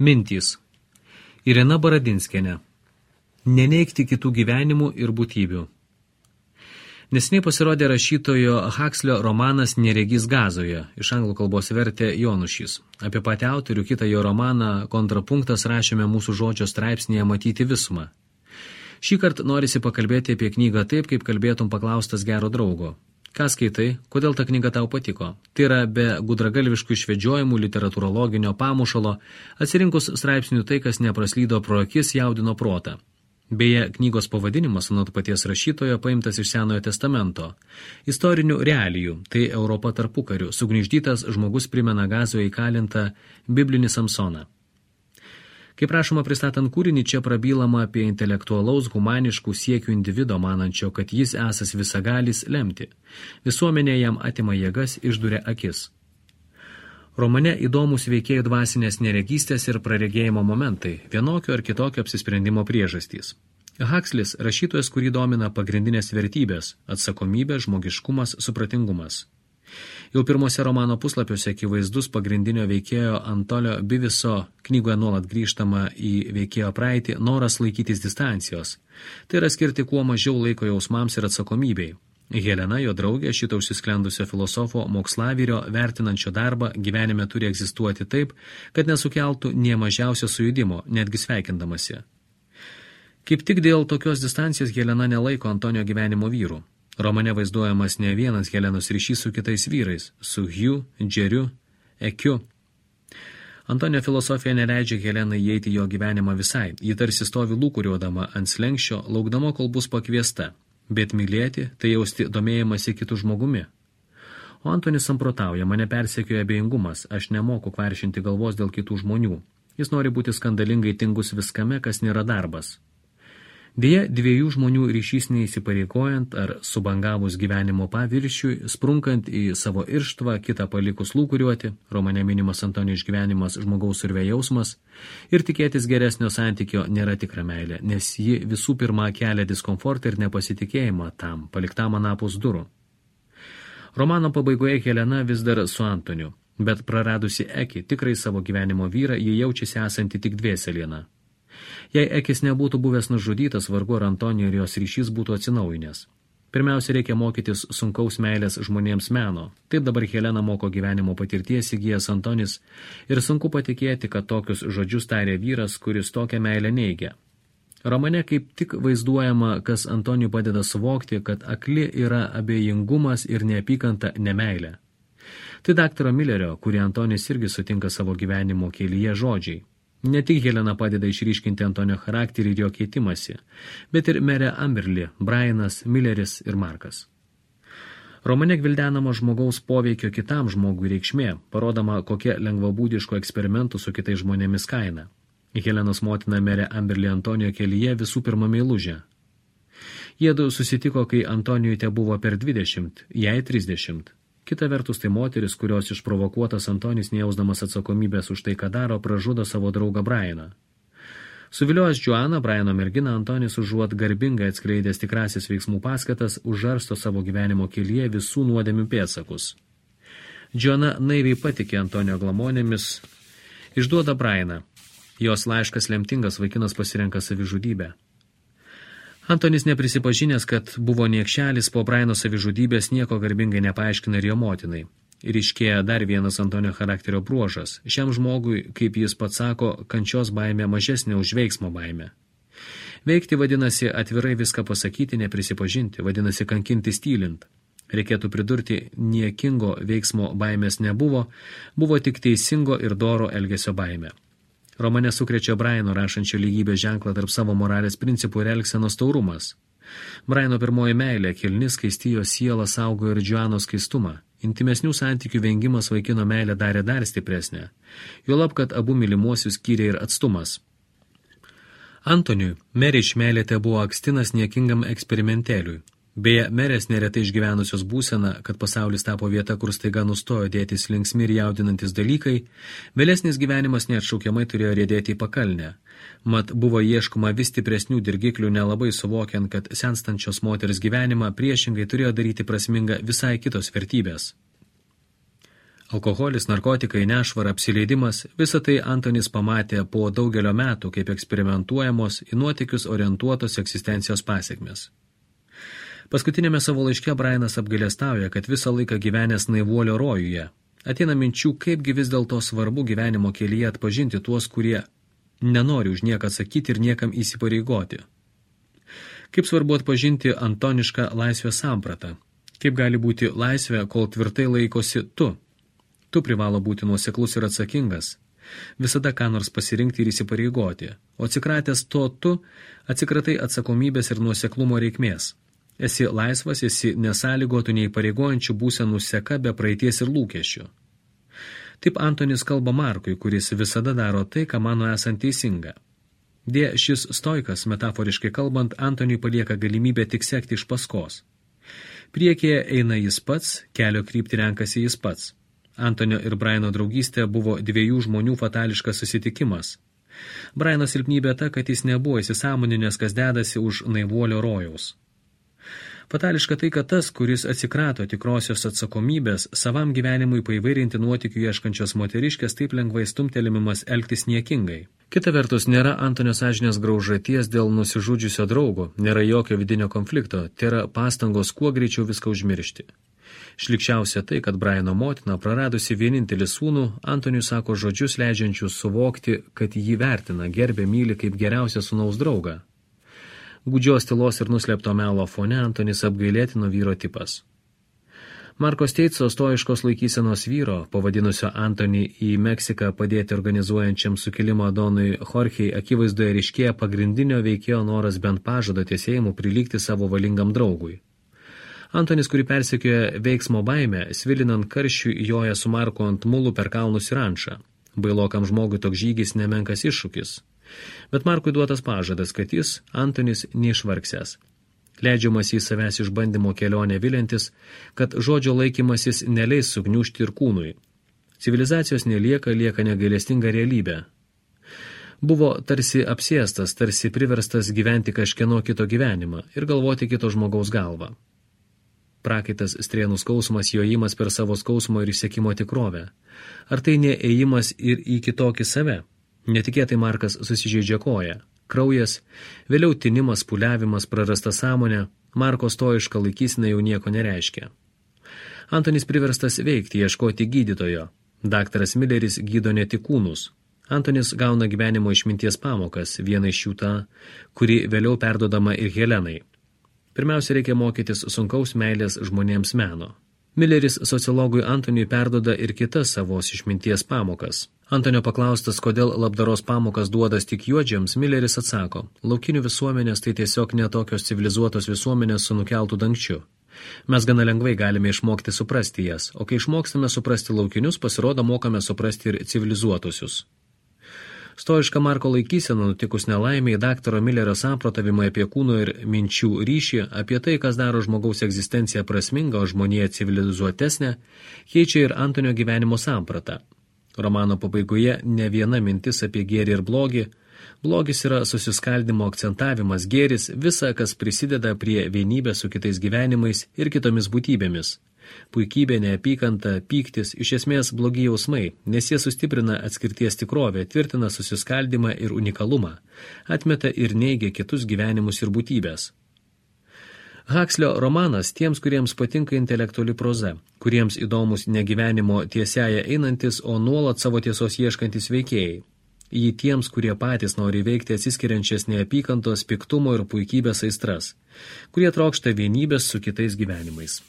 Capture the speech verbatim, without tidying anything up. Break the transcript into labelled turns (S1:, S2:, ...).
S1: Mintys. Irena Baradinskienė. Neneigti kitų gyvenimų ir būtybių. Neseniai pasirodė rašytojo Huxley romanas Neregys Gazoje, iš anglų kalbos vertė Jonušys. Apie patį autorių kitą jo romaną Kontrapunktas rašėme mūsų žodžio straipsnėje Matyti visumą. Šį kartą norisi pakalbėti apie knygą taip, kaip kalbėtum paklaustas gero draugo. Ką skaitai, kodėl ta knyga tau patiko? Tai yra be gudragalviškų išvedžiojimų, literatūrologinio pamušalo, atsirinkus straipsnių tai, kas nepraslydo pro akis, jaudino protą. Beje, knygos pavadinimas, anot paties rašytojo, paimtas iš Senojo testamento. Istorinių realijų, tai Europa tarpukariu, sugniždytas žmogus primena Gazoje įkalintą biblinį Samsoną. Kaip prašoma pristatant kūrinį, čia prabylama apie intelektualaus humaniškų siekių individo, manančio, kad jis esas visagalis lemti. Visuomenė jam atima jėgas, išduria akis. Romane įdomus veikėjų dvasinės neregystės ir praregėjimo momentai, vienokio ar kitokio apsisprendimo priežastys. Huxleys rašytojas, kurį domina pagrindinės vertybės – atsakomybė, žmogiškumas, supratingumas. Jau pirmose romano puslapiuose akivaizdus pagrindinio veikėjo Antolio Biviso, knygoje nuolat grįžtama į veikėjo praeitį, noras laikytis distancijos. Tai yra skirti kuo mažiau laiko jausmams ir atsakomybei. Helena, jo draugė, šito užsisklendusio filosofo mokslavvyrio, vertinančio darbą, gyvenime turi egzistuoti taip, kad nesukeltų nie mažiausio sujudimo, netgi sveikindamasi. Kaip tik dėl tokios distancijos Helena nelaiko Antonio gyvenimo vyrų. Romane vaizduojamas ne vienas Helenos ryšys su kitais vyrais, su Hugh, Džeriu, Ekiu. Antonio filosofija neleidžia Helenai įeiti jo gyvenimą visai, ji tarsi stovi lūkuriuodama ant slenkščio, laukdama, kol bus pakviesta, bet mylėti, tai jausti domėjimąsi kitų žmogumi. O Antonis samprotauja, mane persekioja abejingumas, aš nemoku kvaršinti galvos dėl kitų žmonių. Jis nori būti skandalingai tingus viskame, kas nėra darbas. Deja, dviejų žmonių ryšys neįsipareikojant ar subangavus gyvenimo paviršiui, sprunkant į savo irštvą, kitą palikus lūkuriuoti, romane minimas Antonio išgyvenimas žmogaus urve jausmas, ir tikėtis geresnio santykio nėra tikra meilė, nes ji visų pirma kelia diskomfortą ir nepasitikėjimą tam, paliktam anapus durų. Romano pabaigoje Helena vis dar su Antoniu, bet praradusi Eki, tikrai savo gyvenimo vyrą, ji jaučiasi esanti tik dvėseliena. Jei Ekis nebūtų buvęs nužudytas, vargu ar Antonijo ir jos ryšys būtų atsinaujinęs. Pirmiausia, reikia mokytis sunkaus meilės žmonėms meno. Taip dabar Helena moko gyvenimo patirties įgijęs Antonis ir sunku patikėti, kad tokius žodžius tarė vyras, kuris tokią meilę neigia. Romane kaip tik vaizduojama, kas Antonijui padeda suvokti, kad akli yra abejingumas ir neapykanta nemeilė. Tai daktaro Millerio, kurį Antonis irgi sutinka savo gyvenimo kelyje žodžiai. Ne tik Helena padeda išryškinti Antonio charakterį ir jo keitimąsi, bet ir merė Amberly, Brianas, Milleris ir Markas. Romane gvildenama žmogaus poveikio kitam žmogui reikšmė, parodama, kokia lengvabūdiško eksperimentų su kitais žmonėmis kaina. Helenos motina merė Amberly Antonijo kelyje visų pirma meilužė. Jiedu susitiko, kai Antonijui te buvo per dvidešimt, jai trisdešimt. Kita vertus, tai moteris, kurios išprovokuotas Antonis, nejausdamas atsakomybės už tai, ką daro, pražudo savo draugą Brianą. Suviliojęs Joaną, Briano merginą, Antonis užuot garbingai atskleidęs tikrasis veiksmų paskatas, užžarsto savo gyvenimo kelyje visų nuodėmių pėdsakus. Joana naiviai patikė Antonio glamonėmis, išduoda Brianą. Jos laiškas lemtingas, vaikinas pasirenka savižudybę. Antonis neprisipažinęs, kad buvo niekšelis, po Briano savižudybės nieko garbingai nepaaiškina ir jo motinai. Ir iškėja dar vienas Antonio charakterio bruožas. Šiam žmogui, kaip jis pats sako, kančios baimė mažesnė už veiksmo baimę. Veikti vadinasi atvirai viską pasakyti, neprisipažinti, vadinasi kankinti stylint. Reikėtų pridurti, niekingo veiksmo baimės nebuvo, buvo tik teisingo ir doro elgesio baimė. Romane sukrečia Briano rašančio lygybės ženklą tarp savo moralės principų ir elgsenos taurumas. Briano pirmoji meilė, kilni skaistijo sielą saugo ir Joanos skaistumą. Intimesnių santykių vengimas vaikino meilę darė dar stipresnę. Juolab, kad abu mylimuosius skyrė ir atstumas. Antoniui merė iš meilė te buvo akstinas niekingam eksperimentėliui. Beje, merės neretai išgyvenusios būseną, kad pasaulis tapo vieta, kur staiga nustojo dėtis linksmi ir jaudinantis dalykai, vėlesnis gyvenimas neatšaukiamai turėjo riedėti į pakalnę. Mat buvo ieškoma vis stipresnių dirgiklių, nelabai suvokiant, kad senstančios moters gyvenimą priešingai turėjo daryti prasmingą visai kitos vertybės. Alkoholis, narkotikai, nešvara, apsileidimas – visą tai Antonis pamatė po daugelio metų kaip eksperimentuojamos į nuotykius orientuotos egzistencijos pasekmes. Paskutinėme savo laiške Brianas apgailestauja, kad visą laiką gyvenęs naivuolio rojuje. Ateina minčių, kaipgi vis dėlto svarbu gyvenimo kelyje atpažinti tuos, kurie nenori už nieką atsakyti ir niekam įsipareigoti. Kaip svarbu atpažinti antonišką laisvės sampratą. Kaip gali būti laisvė, kol tvirtai laikosi tu. Tu privalo būti nuoseklus ir atsakingas. Visada ką nors pasirinkti ir įsipareigoti. O atsikratęs to tu, atsikratai atsakomybės ir nuoseklumo reikmės. Esi laisvas, esi nesąlygotų neįpareigojančių būsenų seka be praeities ir lūkesčių. Taip Antonis kalba Markui, kuris visada daro tai, ką mano esant teisinga. Dė šis stoikas, metaforiškai kalbant, Antoniui palieka galimybę tik sekti iš paskos. Priekyje eina jis pats, kelio kryptį renkasi jis pats. Antonio ir Briano draugystė buvo dviejų žmonių fatališkas susitikimas. Briano silpnybė ta, kad jis nebuvo įsisąmoninęs, kas dedasi už naivuolio rojaus. Fatališka tai, kad tas, kuris atsikrato tikrosios atsakomybės, savam gyvenimui paįvairinti nuotykių ieškančios moteriškės, taip lengvai stumtelimimas elgtis niekingai. Kita vertus, nėra Antonio sąžinės graužaties dėl nusižudžiusio draugo, nėra jokio vidinio konflikto, tai yra pastangos kuo greičiau viską užmiršti. Šlikščiausia tai, kad Briano motina, praradusi vienintelį sūnų, Antoniui sako žodžius leidžiančius suvokti, kad jį vertina, gerbė, myli kaip geriausią sūnaus draugą. Gūdžios tylos ir nuslėpto melo fone Antonis apgailėtino vyro tipas. Marko Steitso stoiškos laikysenos vyro, pavadinusio Antonį į Meksiką padėti organizuojančiam sukilimo donui Jorgei, akivaizdoje ryškėja pagrindinio veikėjo noras bent pažado tiesėjimu prilygti savo valingam draugui. Antonis, kurį persekioja veiksmo baimę, svilinant karščių joja su Marku ant mulų per kalnus ir rančą. Bailokam žmogui toks žygis nemenkas iššūkis. Bet Markui duotas pažadas, kad jis, Antonis, neišvargsęs. Leidžiamas į savęs išbandymo kelionę vilintis, kad žodžio laikymasis neleis sugniužti ir kūnui. Civilizacijos nelieka, lieka negailestinga realybė. Buvo tarsi apsėstas, tarsi priverstas gyventi kažkieno kito gyvenimą ir galvoti kito žmogaus galvą. Prakaitas strėnų skausmas, jojimas per savo skausmo ir išsekimo tikrovę. Ar tai ne ėjimas ir į kitokį save? Netikėtai Markas susižeidžia koją. Kraujas, vėliau tinimas, puliavimas, prarasta sąmonė, Marko stoiška laikysena jau nieko nereiškia. Antonis priverstas veikti, ieškoti gydytojo. Daktaras Milleris gydo ne tik kūnus. Antonis gauna gyvenimo išminties pamokas, viena iš jų ta, kuri vėliau perdodama ir Helenai. Pirmiausia, reikia mokytis sunkaus meilės žmonėms meno. Milleris sociologui Antoniui perdoda ir kitas savos išminties pamokas. Antonio paklaustas, kodėl labdaros pamokas duodas tik juodžiams, Milleris atsako, laukinių visuomenės tai tiesiog netokios civilizuotos visuomenės su nukeltų dangčiu. Mes gana lengvai galime išmokti suprasti jas, o kai išmokstame suprasti laukinius, pasirodo mokame suprasti ir civilizuotusius. Stoiška Marko laikysena nutikus nelaimiai, daktaro Millerio samprotavimai apie kūno ir minčių ryšį, apie tai, kas daro žmogaus egzistenciją prasmingą, o žmoniją civilizuotesnę, keičia ir Antonio gyvenimo sampratą. Romano pabaigoje ne viena mintis apie gėrį ir blogį. Blogis yra susiskaldimo akcentavimas, gėris visa, kas prisideda prie vienybės su kitais gyvenimais ir kitomis būtybėmis. Puikybė, neapykanta, pyktis, iš esmės blogi jausmai, nes jie sustiprina atskirties tikrovę, tvirtina susiskaldimą ir unikalumą, atmeta ir neigia kitus gyvenimus ir būtybės. Huxlio romanas tiems, kuriems patinka intelektuali proza, kuriems įdomus ne gyvenimo tiesiaja einantis, o nuolat savo tiesos ieškantis veikėjai. Jį tiems, kurie patys nori veikti atsiskiriančias neapykantos, piktumo ir puikybės aistras, kurie trokšta vienybės su kitais gyvenimais.